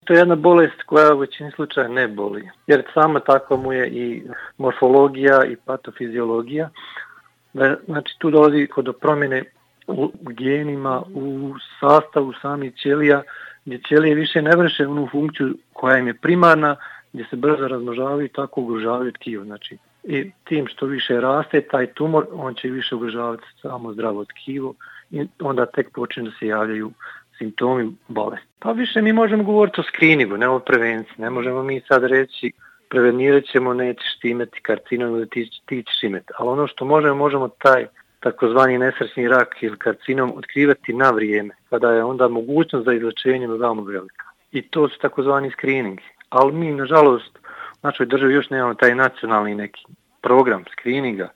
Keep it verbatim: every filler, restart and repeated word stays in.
To je jedna bolest koja u većini slučaja ne boli, jer sama takva mu je i morfologija i patofiziologija. Znači tu dolazi do promjene u genima, u sastavu samih ćelija, gdje ćelije više ne vrše onu funkciju koja im je primarna, gdje se brzo razmnožavaju i tako ugrožavaju tkivo. Znači, i tim što više raste taj tumor, on će više ugrožavati samo zdravo tkivo i onda tek počne da se javljaju simptomi bolesti. Pa više mi možemo govoriti o skriningu, ne o prevenciji. Ne možemo mi sad reći prevenirat ćemo, nećeš ti imati karcinom ili ti, ti ćeš imati. Ali ono što možemo, možemo taj takozvani nesrećni rak ili karcinom otkrivati na vrijeme, kada je onda mogućnost za izlečenje veoma velika. I to su takozvani skriningi. Ali mi, nažalost, u našoj državi još nemamo taj nacionalni neki program skrininga